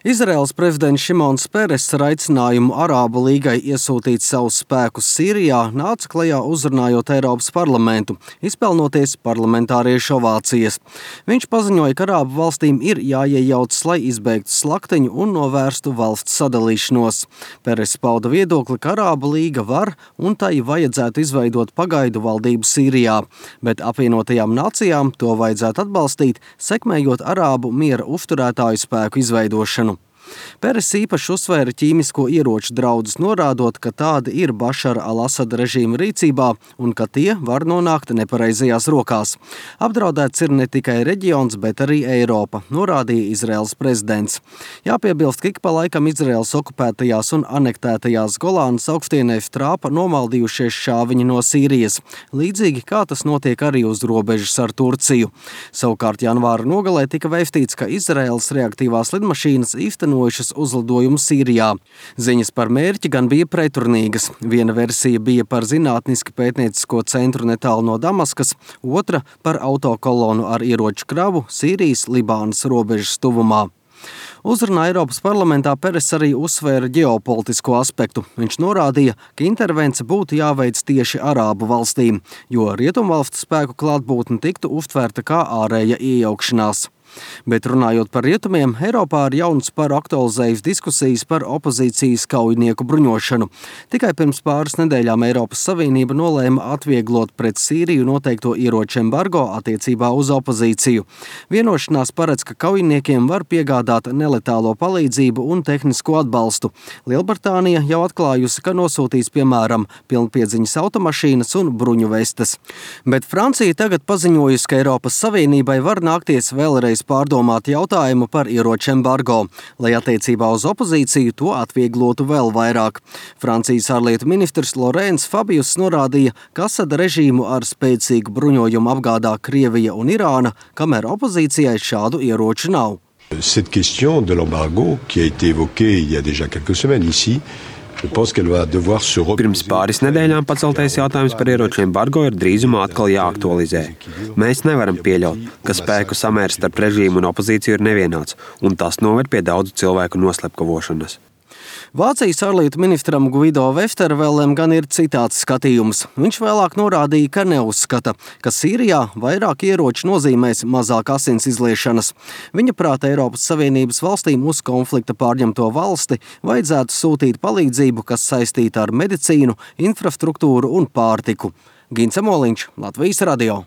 Izraēlas prezidents Šimons Peres ar aicinājumu Arābu līgai iesūtīt savus spēkus Sīrijā nāca klajā uzrunājot Eiropas parlamentu, izpelnoties parlamentāriešu ovācijas. Viņš paziņoja, ka Arābu valstīm ir jāiejaucas, lai izbeigtu slaktiņu un novērstu valsts sadalīšanos. Peres pauda viedokli, ka Arābu līga var un tai vajadzētu izveidot pagaidu valdību Sīrijā, bet apvienotajām nācijām to vajadzētu atbalstīt, sekmējot Arābu miera uzturētāju spēku izveidošanu. Peres īpaši uzsvēra ķīmisko ieroču draudus, norādot, ka tādi ir Bašara al-Asada režīma rīcībā un ka tie var nonākt nepareizajās rokās. Apdraudēts ir ne tikai reģions, bet arī Eiropa, norādīja Izraēlas prezidents. Jāpiebilst, ka ik pa laikam Izraēlas okupētajās un anektētajās Golānas augstienēs trāpa nomaldījušies šāviņi no Sīrijas, līdzīgi kā tas notiek arī uz robežas ar Turciju. Savukārt janvāra nogalē tika vēstīts, ka Izraēlas reaktīvās lidmašīnas īstenojušas uzlidojumu Sīrijā. Ziņas par mērķi gan bija pretrunīgas. Viena versija bija par zinātniski pētniecisko centru netālu no Damaskas, otra par autokolonu ar ieroču kravu Sīrijas-Libānas robežas tuvumā. Uzrunā Eiropas parlamentā Peres arī uzsvēra ģeopolitisko aspektu. Viņš norādīja, ka intervence būtu jāveic tieši Arābu valstīm, jo rietumvalstu spēku klātbūtne tiktu uztvērta kā ārēja iejaukšanās. Bet runājot par rietumiem, Eiropā ar jaunu sparu aktualizējas diskusijas par opozīcijas kaujinieku bruņošanu. Tikai pirms pāris nedēļām Eiropas Savienība nolēma atvieglot pret Sīriju noteikto ieroču embargo attiecībā uz opozīciju. Vienošanās paredz, ka kaujiniekiem var piegādāt neletālo palīdzību un tehnisko atbalstu. Lielbritānija jau atklājusi, ka nosūtīs piemēram pilnpiedziņas automašīnas un bruņu vestes. Bet Francija tagad paziņojusi, ka Eiropas Savienībai var nākties vēlreiz pārdomāt jautājumu par ieroču embargo, lai attiecībā uz opozīciju to atvieglotu vēl vairāk. Francijas ārlietu ministrs Laurents Fabius norādīja, ka Asada režīmu ar spēcīgu bruņojumu apgādā Krievija un Irāna, kamēr opozīcijai šādu ieroču nav. Cette question de l'embargo, qui a été évoquée il y a déjà quelques semaines ici, Pirms pāris nedēļām paceltais jautājums par ieroču embargo ir drīzumā atkal jāaktualizē. Mēs nevaram pieļaut, ka spēku samērs starp režīmu un opozīciju ir nevienāds, un tas noved pie daudzu cilvēku noslepkavošanas. Vācijas ārlietu ministram Guido Westervelem gan ir citāds skatījums. Viņš vēlāk norādīja, ka neuzskata, ka Sīrijā vairāk ieroču nozīmēs mazāk asins izliešanas. Viņa prāta Eiropas Savienības valstīm uz konflikta pārņemto valsti vajadzētu sūtīt palīdzību, kas saistīta ar medicīnu, infrastruktūru un pārtiku. Gins Amoliņš, Latvijas radio.